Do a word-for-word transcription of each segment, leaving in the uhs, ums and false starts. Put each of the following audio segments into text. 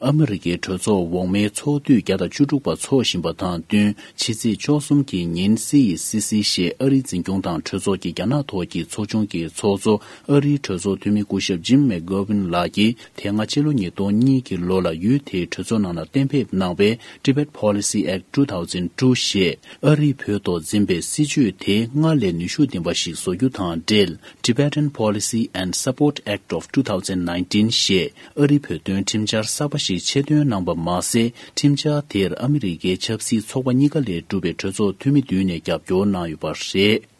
ཨ་མི་རི་ཀའི་གྲོས་ཚོགས་འོག་མའི་ཚོགས་དུས་བརྒྱ་དང་བཅུ་དྲུག་པ་འཚོགས་བཞིན་པ་དང་བསྟུན། ཕྱི་ཚེས་བཅུ་གསུམ་གྱི་ཉིན་སི་ཨི་སི་སི་ཞེས་ཨ་རིའི་འཛིན་སྐྱོང་དང་གྲོས་ཚོགས་ཀྱི་རྒྱ་ནག་ཐོག་གི་ཚོགས་ཆུང་གི་ཚོགས་གཙོ། ཨ་རིའི་གྲོས་ཚོགས་འཐུས་མི་སྐུ་ཞབས་ཇིམ་མེག་གྷོ་ཝིན་ལགས་ཀྱིས་དེ་སྔ་ཕྱི་ལོ་ཉིས་སྟོང་གཉིས་ཀྱི་ལོ་ལ་ཡུལ་དེའི་གྲོས་ཚོགས་ནང་ལ་གཏན་འབེབས་གནང་བའི་Tibet Policy Act two thousand two ཞེས་ཨ་རིས་བོད་ཐོག་འཛིན་པའི་སྲིད་བྱུས་དེ་སྔར་ལས་ནུས་ཤུགས་ལྡན་པ་ཞིག་བཟོ་རྒྱུ་དང་འབྲེལ། Tibetan Policy and Support Act of two thousand nineteen ཞེས་ཨ་རིའི་བོད་དོན་ཁྲིམས་འཆར་གསར་པ་ཞིག་ཆེད་འདོན་གནང་པ་མ་ཟད། ཁྲིམས་འཆར་དེར་ཨ་མི་རི་ཀའི་ཆབ་སྲིད་ཚོགས་པ་གཉིས་ཀ་ལས་གྲུབ་པའི་གྲོས་ཚོགས་འཐུས་མི་བདུན་ནས་རྒྱབ་སྐྱོར་གནང་ཡོད་པ་རེད།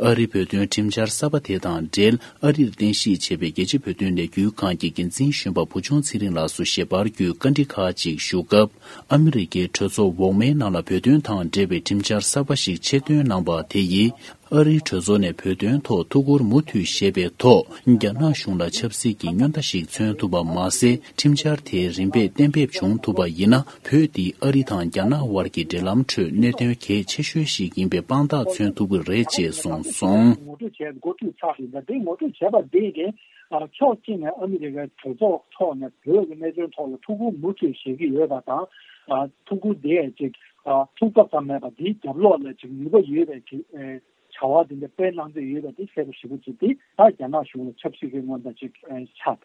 ཨ་རིའི་བོད་དོན་ཁྲིམས་འཆར་གསར་པ་དེ་དང་འབྲེལ། ཨ་རིར་རྟེན་གཞི་བྱས་པའི་རྒྱལ་སྤྱིའི་བོད་དོན་ལས་འགུལ་ཁང་གི་འགན་འཛིན་གཞོན་པ་བུ་ཆུང་ཚེ་རིང་ལགས་སུ་ཞལ་པར་བརྒྱུད་བཀའ་འདྲི་ཁག་ཅིག་ཞུ་སྐབས། ཨ་མི་རི་ཀའི་གྲོས་ཚོགས་འོག་མའི་ནང་ལ་བོད་དོན་དང་འབྲེལ་བའི་ཁྲིམས་འཆར་གསར་པ་ཞིག་ཆེད་འདོན་གནང་པ་དེ་ཡིས། ཨ་རིའི་གྲོས་ཚོགས་ནས་བོད་དོན་ཐོག་ཐུགས་ཁུར་མུ་མཐུད་བཞེས་པའི་ཐོག་རྒྱ་ནག་གཞུང་ལ་ཆབ་སྲིད་ཀྱི་སྨྱོན་རྟ་ཞིག་མཚོན་ཐུབ་པ་མ་ཟད། ཁྲིམས་འཆར་དེ་རིམ་པས་གཏན་འབེབས་བྱུང་ཐུབ་པ་ཡིན་ན། བོད་འདི་ཨ་རི་དང་རྒྱ་ནག་དབར་གྱི་འབྲེལ་ལམ་ཁྲོད་གནད་དོན་གལ་ཆེ་ཤོས་ཤིག་ཡིན་པའི་དཔང་རྟགས་མཚོན་ཐུབ་ཀྱི་རེད་ཅེས་གསུངས་སོང་། ངོ་སྤྲོད་བྱས་འགོ་ཁྲིད་ཚར་ཡིན་ད། དེ་ངོ་སྤྲོད་བྱས་པ་འདི་གིས་ཕྱོགས་གཅིག་ནས་ཨ་མི་རི་ཀའི་གྲོས་ཚོགས་ཐོག་ནས་བོད་ཀྱི་གནད་དོན་ཐོག་ལ་ཐུགས་ཁུར་མུ་མཐུད་བཞེས་ཀྱི་ཡོད་པ་དང་། ཐུགས་ཁུར་དེ་ཅིག་ཐུགས་ཐག་ཙམ་མེད་པ་འདིའི་རྒྱབ་ལོགས་ལ་ཅིག་ནུས་པ་ཡོད་པའི་ཅིག་བྱ་བ་དེ་འདྲ་སྤེལ་གནང་འདོད་ཡོད་པ་དེ་གསལ་པོ་ཞེ་པོ་ཅིག་དེ་ད་རྒྱ་ནག་གཞུང་ལ་ཆབ་སྲིད་ཀྱི་མངོན་པ་ཅིག་ཆགས།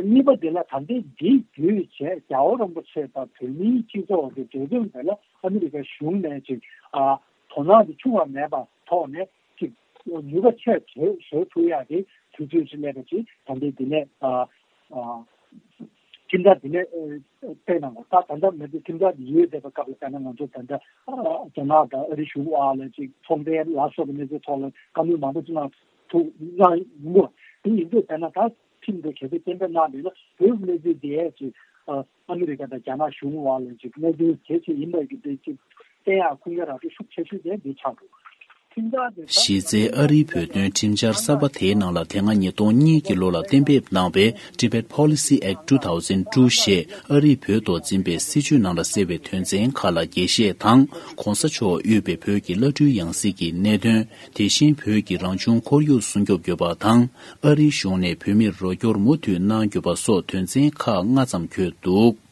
གཉིས་པ་དེ་ལ་ད་ལྟའི་འདི་བརྒྱུད་བྱས་རྒྱལ་བ་རིན་པོ་ཆེ་དང་བོད་མིའི་སྤྱི་ཚོགས་ཀྱི་འབྲེལ་ལྡན་དེ་ལ་ཨ་མི་རི་ཀ་གཞུང་ནས་ཅིག་དོ་སྣང་དེ་ཆུང་བ་མེད་པ་ཐོག་ནས་ཅིག་ནུས་པ་ཆེ་བཟོ་བཟོ་ཐུབ་ཡག་གི་དུས་ཚོད་ཅིག་སླེབས་པ་ཅིག་ད་ལྟའི་འདི་ནས་ཁྲིམས་འཆར་འདི་ནས་སྤེལ་གནང་དགོས། ད་ད་ལྟ་མི་ཚེ་ཁྲིམས་འཆར་འདི་ཡོད་བསྡད་པའི་སྐབས་ལ་བལྟས་ན། ང་ཚོ་ད་ལྟ་རྒྱ་ནག་དང་ཨ་རི་གཞུང་བར་ལ་ཅིག་ཚོང་འབྲེལ་ལ་སོགས་པའི་གནས་ཚུལ་ཐོག་ལ་བཀའ་མོལ་མང་པོ་ཅིག་གནང་ཐུབ་གནང་ཡོང་གི་རེད། དེ་ཡིན་དུས་བལྟས་ན་ད་ཁྲིམས་འདི་གལ་སྲིད་གཏན་འབེབས་གནང་བ་ཡིན་ན། བོད་ཀྱི་གནས་ཚུལ་འདི་ཅིག་ཨ་མི་རི་ཀ་དང་རྒྱ་ནག་གཞུང་བར་ལ་ཅིག་གནད་དོན་གལ་ཆེ་ཡིན་པ་གི་དེ་ཅིག་བསྟན་ཡག་ཁུངས་སྐྱེལ་རག་ཤུགས་ཆེ་ཤོས་དེ་འདི་ཆགས་འདུག། གཞི་རྩའི་ཨ་རིའི་བོད་དོན་ཁྲིམས་འཆར་གསར་པ་དེའི་ནང་ལ་དེ་སྔ་ཉིས་སྟོང་གཉིས་ཀྱི་ལོ་ལ་གཏན་འབེབས་གནང་བའི་Tibet Policy Act two thousand two ཞེས་ཨ་རིས་བོད་ཐོག་འཛིན་པའི་སྲིད་བྱུས་ནང་ལ་གསལ་བའི་དོན་ཚན་ཁག་ལ་རྒྱས་བཤད་དང་། གོང་ས་མཆོག་དབུས་པའི་བོད་ཀྱི་བླ་སྤྲུལ་ཡང་སྲིད་ཀྱི་གནད་དོན། དེ་བཞིན་བོད་ཀྱི་རང་བྱུང་ཁོར་ཡུག་སྲུང་སྐྱོབ་དགོས་པ་དང་། ཨ་རིའི་གཞུང་ནས་བོད་མིར་རོགས་སྐྱོར་མུ་མཐུད་གནང་དགོས་པ་སོགས་དོན་ཚན་ཁག་ལྔ་ཙམ་འཁོད་འདུག།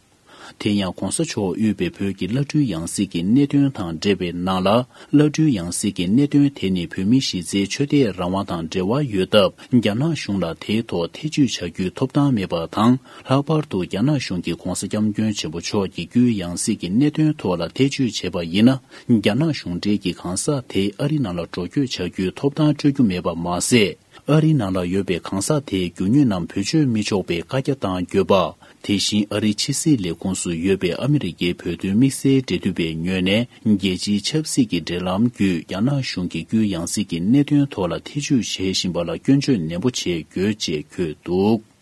དེ་ཡང་གོང་ས་མཆོག་དབུས་པའི་བོད་ཀྱི་བླ་སྤྲུལ་ཡང་སྲིད་ཀྱི་གནད་དོན་དང་འབྲེལ་བའི་ནང་ལ། བླ་སྤྲུལ་ཡང་སྲིད་ཀྱི་གནད་དོན་དེ་ནི་བོད་མིའི་གཞི་རྩའི་ཆོས་དད་རང་དབང་དང་འབྲེལ་བ་ཡོད་སྟབས། རྒྱ་ནག་གཞུང་ལ་དེའི་ཐོག་ཐེ་བྱུས་བྱ་རྒྱུའི་ཐོབ་ཐང་མེད་པ་དང་། ལྷག་པར་དུ་རྒྱ་ནག་གཞུང་གིས་གོང་ས་སྐྱབས་མགོན་ཆེན་པོ་མཆོག་གི་རྒྱུད་ཡང་སྲིད་ཀྱི་གནད་དོན་ཐོག་ལ་ཐེ་བྱུས་བྱས་པ་ཡིན་ན། རྒྱ་ནག་གཞུང་འབྲེལ་གྱི་གང་ཟག་དེ་ཨ་རི་ནང་ལ་འགྲོ་སྐྱོད་བྱ་རྒྱུའི་ཐོབ་ཐང་སྤྲོད་རྒྱུ་མེད་པ་མ་ཟད། ཨ་རིའི་ནང་ལ་ཡོད་པའི་གང་ཟག་དེའི་རྒྱུ་དངོས་རྣམས་བེད་སྤྱོད་མི་ཆོག་པའི་བཀའ་རྒྱ་བཏང་ཡོད་པ། དེ་བཞིན་ཨ་རིའི་ཕྱི་སྲིད་ལས་ཁུངས་སུ་ཡོད་པའི་ཨ་མི་རི་ཀའི་བོད་དོན་དམིགས་བསལ་འབྲེལ་མཐུད་པའི་ངོས་ནས། རྒྱལ་སྤྱིའི་ཆབ་སྲིད་ཀྱི་འབྲེལ་ལམ་བརྒྱུད་རྒྱ་ནག་གཞུང་གི་རྒྱུད་ཡང་སྲིད་ཀྱི་གནད་དོན་ཐོག་ལ་ཐེ་བྱུས་བྱེད་བཞིན་པ་ལ་སྐྱོན་བརྗོད་ནན་པོ་བྱེད་དགོས་ཅེས་འཁོད་འདུག།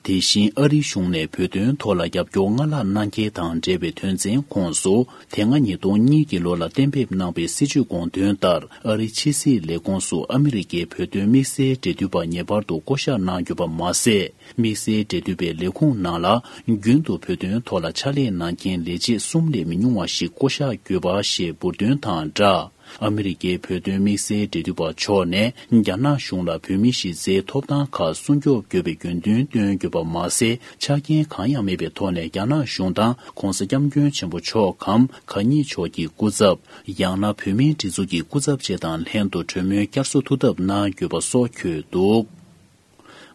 དེ་བཞིན་ཨ་རིའི་གཞུང་ནས་བོད་དོན་ཐོག་ལ་རྒྱབ་སྐྱོར་སྔར་ལྷག་གནང་གལ་དང་འབྲེལ་བའི་དོན་ཚན་ཁོངས་སུ། དེ་སྔ་ཉིས་སྟོང་གཉིས་ཀྱི་ལོ་ལ་གཏན་འབེབས་གནང་པའི་སྲིད་བྱུས་དགོངས་དོན་ལྟར། ཨ་རིའི་ཕྱི་སྲིད་ལས་ཁུངས་སུ་ཨ་མི་རི་ཀའི་བོད་དོན་དམིགས་བསལ་འབྲེལ་མཐུད་པ་ངེས་པར་དུ་བསྐོ་གཞག་གནང་དགོས་པ་མ་ཟད། དམིགས་བསལ་འབྲེལ་མཐུད་པའི་ལས་ཁུངས་ནང་ལ། རྒྱུན་དུ་བོད་དོན་ཐོག་ལ་ཕྱག་ལས་གནང་མཁན་ལས་བྱེད་གསུམ་ལས་མི་ཉུང་བ་ཞིག་བསྐོ་གཞག་དགོས་པ་ཞེས་འབུར་འདོན་དང་སྦྲགས། ཨ་མི་རི་ཀའི་བོད་དོན་དམིགས་བསལ་འབྲེལ་མཐུད་པ་མཆོག་ནས། རྒྱ་ནག་གཞུང་ལ་བོད་མིའི་གཞི་རྩའི་ཐོབ་ཐང་ཁག་སྲུང་སྐྱོབ་དགོས་པའི་དགོས་འདུན་བཏོན་ཡོད་པ་མ་ཟད། ཆ་རྐྱེན་གང་ཡང་མེད་པའི་ཐོག་ནས་རྒྱ་ནག་གཞུང་དང་། གོང་ས་སྐྱབས་མགོན་ཆེན་པོ་མཆོག་གམ། གང་ཉིད་མཆོག་གི་སྐུ་ཚབ། ཡང་ན་བོད་མིའི་སྒྲིག་འཛུགས་ཀྱི་སྐུ་ཚབ་བཅས་དང་ལྷན་དུ་གྲོས་མོལ་བསྐྱར་གསོ་ཐུབ་ཐབས་གནང་དགོས་པ་སོགས་འཁོད་འདུག།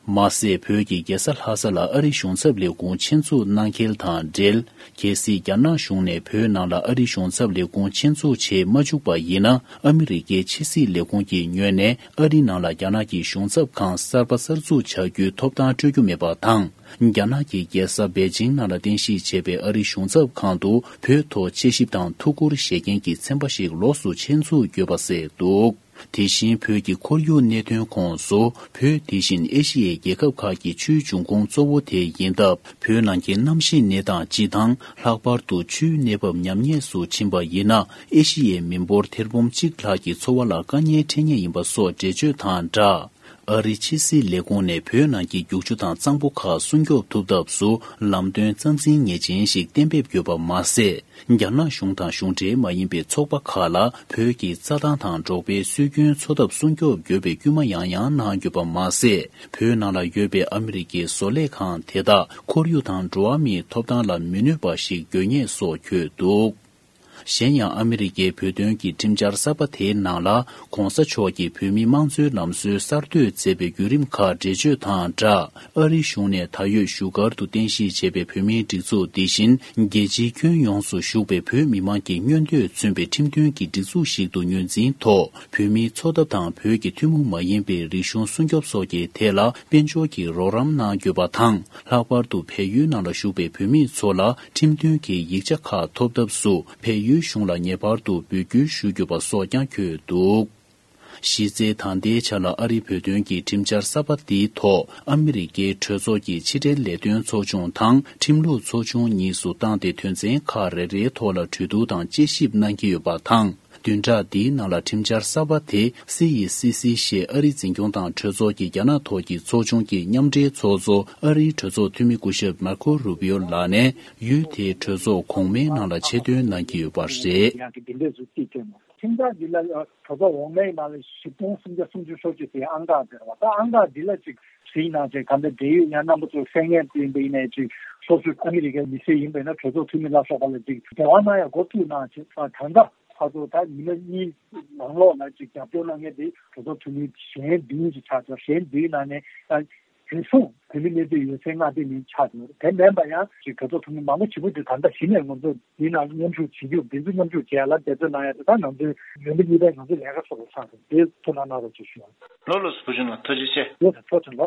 མ་ཟད། བོད་ཀྱི་རྒྱལ་ས་ལྷ་ས་ལ་ཨ་རིའི་གཞུང་ཚབ་ལས་ཁུངས་ཆེད་འཛུགས་གནང་གལ་དང་འབྲེལ། གལ་སྲིད་རྒྱ་ནག་གཞུང་ནས་བོད་ནང་ལ་ཨ་རིའི་གཞུང་ཚབ་ལས་ཁུངས་ཆེད་འཛུགས་བྱེད་མ་བཅུག་པ་ཡིན་ན། ཨ་མི་རི་ཀའི་ཕྱི་སྲིད་ལས་ཁུངས་ཀྱི་ངོས་ནས་ཨ་རི་ནང་ལ་རྒྱ་ནག་གི་གཞུང་ཚབ་ཁང་གསར་པ་གསར་འཛུགས་བྱ་རྒྱུའི་ཐོབ་ཐང་སྤྲོད་རྒྱུ་མེད་པ་དང་། རྒྱ་ནག་གི་རྒྱལ་ས་པེ་ཅིང་ནང་ལ་རྟེན་གཞི་བྱས་པའི་ཨ་རིའི་གཞུང་ཚབ་ཁང་དུ་བོད་ཐོག་དཔྱད་ཞིབ་དང་ཐུགས་ཁུར་བཞེས་མཁན་གྱི་ཚན་པ་ཞིག་ལོགས་སུ་ཆེད་འཛུགས་དགོས་པ་གསལ་འདུག། དེ་བཞིན་བོད་ཀྱི་ཁོར་ཡུག་གནད་དོན་ཁོངས་སུ། བོད་དེ་བཞིན་ཨེ་ཤི་ཡའི་རྒྱལ་ཁབ་ཁག་གི་ཆུའི་འབྱུང་ཁུངས་གཙོ་བོ་དེ་ཡིན་སྟབས། བོད་ནང་གི་གནམ་གཤིས་གནས་སྟངས་སྤྱི་དང་། ལྷག་པར་དུ་ཆུའི་གནས་བབ་ཉམས་ཉེས་སུ་ཕྱིན་པ་ཡིན་ན། ཨེ་ཤི་ཡའི་མི་འབོར་ཐེར་འབུམ་གཅིག་ལྷག་གི་འཚོ་བ་ལ་དཀའ་ངལ་འཕྲད་ངེས་ཡིན་པ་སོགས་འགྲེལ་བརྗོད་དང་སྦྲགས། ཨ་རིའི་ཕྱི་སྲིད་ལས་ཁུངས་ནས་བོད་ནང་གི་རྒྱུག་ཆུ་དང་གཙང་པོ་ཁག་སྲུང་སྐྱོབ་ཐུབ་ཐབས་སུ་ལམ་སྟོན་རྩ་འཛིན་ངེས་ཅན་ཞིག་གཏན་འབེབས་ཡོད་པ་མ་ཟད། རྒྱ་ནག་གཞུང་དང་གཞུང་འབྲེལ་མ་ཡིན་པའི་ཚོགས་པ་ཁག་ལ་བོད་ཀྱི་རྩྭ་ཐང་དང་འབྲོག་པའི་སྲོལ་རྒྱུན་འཚོ་ཐབས་སྲུང་སྐྱོབ་དགོས་པའི་སྐུལ་མ་ཡང་ཡང་གནང་ཡོད་པ་མ་ཟད། བོད་ནང་ལ་ཡོད་པའི་ཨ་མི་རི་ཀའི་བཟོ་ལས་ཁང་དེ་དག་ཁོར་ཡུག་དང་འགྲོ་བ་མིའི་ཐོབ་ཐང་ལ་མི་གནོད་པ་ཞིག་དགོས་ངེས་སོགས་འཁོད་འདུག་གཞན་ཡང་ཨ་མི་རི་ཀའི་བོད་དོན་གྱི་ཁྲིམས་འཆར་གསར་པ་དེའི་ནང་ལ་༧གོང་ས་མཆོག་གིས་བོད་མིའི་དམངས་གཙོའི་ལམ་སྲོལ་གསར་གཏོད་མཛད་པའི་བརྒྱུད་རིམ་ཁག་འགྲེལ་བརྗོད་དང་སྦྲགས། ཨ་རིའི་གཞུང་ནས་ད་ཡོད་བཞུགས་སྒར་དུ་རྟེན་གཞི་བྱས་པའི་བོད་མིའི་སྒྲིག་འཛུགས་འདི་བཞིན་རྒྱལ་སྤྱིའི་ཁྱོན་ཡོངས་སུ་བཞུགས་པའི་བོད་མི་མང་གི་མངོན་འདོད་མཚོན་པའི་ཁྲིམས་མཐུན་གྱི་སྒྲིག་འཛུགས་ཤིག་ཏུ་ངོས་འཛིན་ཐོག་བོད་མིའི་འཚོ་ཐབས་དང་བོད་ཀྱི་ཐུན་མོང་མ་ཡིན་པའི་རིག་གཞུང་སྲུང་སྐྱོབ་སོགས་ཀྱི་ཐད་ལ་དཔལ་འབྱོར་གྱི་རོགས་རམ་གནང་དགོས་པ་དང་། ལྷག་པར་དུ་བལ་ཡུལ་ནང་ལ་བཞུགས་པའི་བོད་མི་ཚོ་ལ་ཁྲིམས་མཐུན་གྱི་ཡིག་ཆ་ཁག་ཐོབ་ཐབས་སུ་བལ་ཡུལ་གཞུང་ལ་ངེས་པར་དུ་འབོད་སྐུལ་ཞུ་དགོས་པ་སོགས་ཀྱང་འཁོད་འདུག་གཞི་རྩའི་ད་ལྟའི་ཆ་ལ་ཨ་རིའི་བོད་དོན་གྱི་ཁྲིམས་འཆར་གསར་པ་འདིའི་ཐོག་ཨ་མི་རི་ཀའི་གྲོས་ཚོགས་ཀྱི་ཕྱི་འབྲེལ་ལས་དོན་ཚོགས་ཆུང་དང་ཁྲིམས་ལུགས་ཚོགས་ཆུང་གཉིས་སུ་བཏང་སྟེ་དོན་ཚན་ཁག་རེ་རེའི་ཐོག་ལ་གྲོས་བསྡུར་དང་དཔྱད་ཞིབ་གནང་གི་ཡོད་པ་དང་། བདུན་ཕྲག་འདིའི་ནང་ལ་ཁྲིམས་འཆར་གསར་པ་དེ་སི་ཡི་སི་སི་ཞེས་ཨ་རིའི་འཛིན་སྐྱོང་དང་གྲོས་ཚོགས་ཀྱི་རྒྱ་ནག་ཐོག་གི་ཚོགས་ཆུང་གི་མཉམ་འབྲེལ་ཚོགས་གཙོ་ཨ་རིའི་གྲོས་ཚོགས་འཐུས་མི་སྐུ་ཞབས་མར་ཁོ་རུ་བི་ཡོ་ལགས་ནས་ཡུལ་དེའི་གྲོས་ཚོགས་གོང་མའི་ནང་ལ་ཆེད་འདོན་གནང་གི་ཡོད་པ་རེད། ཡང་གི་འདི་འདྲའི་གཟུགས་ཅིག་སྟོན་ནོ། ཁྲིམས་འཆར་འདི་ལ་གྲོས་ཚོགས་འོག་མའི་ནང་ལ་བཞི་སྟོང་སུམ་བརྒྱ་སུམ་ཅུ་སོ་གཅིག་དེ་ཨང་རྟགས་དེ་རེད་བ། ད་ཨང་རྟགས་འདི་ལ་ཅིག་གཟིགས་གནང་བྱས་ག་འདྲ་འབྲེལ་ཡོད་ཡང་རྣམ་པ་ཚོ་གསན་མཁན་དེ་ཡིན་པ་ཡིན་ནའི་ཅིག་སོ་སོའི་ཨ་མི་རི་ཀའི་མི་སེར་ཡིན་པ་ཡིན་ན་གྲོས་ཚོགས་འཐུས་མི་ལ་སོགས་པ་ལ་ཅིག་འབྲེལ་བ་གནང་ཡ་འགོ་ཚུགས་གནང་བྱས་ད་ད་ལྟ་ཕར་ཚུར་ད་ཉི་མ་གཉིས་ནང་ལོགས་ལ་ཅིག་རྒྱབ་སྐྱོར་གནང་མཁན་དེ་གྲོས་ཚོགས་འཐུས་མི་གཞན་བདུན་ཅིག་ཆགས་ཚར། གཞན་བདུན་ནང་ནས་ད་བོད་གཞུང་བོད་མི་གནས་སྡོད་ཡོད་སའི་མངའ་སྡེ་ནས་ཆགས་འདུག་དེ་མིན་པ་ཡང་ཅིག་གྲོས་ཚོགས་འཐུས་མི་མང་པོ་ཞེ་པོ་ཅིག་ད་ལྟ་གཞི་ནས་ང་ཚོ་འདི་ནང་མཉམ་ཞུགས་བྱེད་རྒྱུ་འདི་ཚོ་མཉམ་ཞུགས་བྱེད་ཡ་ལ་འབད་བརྩོན་གནང་ཡ་དེ་ད་ང་ཚོའི་ཡོན་ཏན་གཉིས་པའི་ང་ཚོའི་ལས་ཀ་ཚོ་ལ་ཆགས་འདུག་དེ་ཐུགས་སྣང་གནང་རོགས་ཞེས་ཞུ་བ། ལགས་ལགས་སོ། བུ་ཆུང་ལགས་ཐུགས་རྗེ་ཆེ། ཡོད་ཐུགས་རྗེ་ཆེ་ལགས།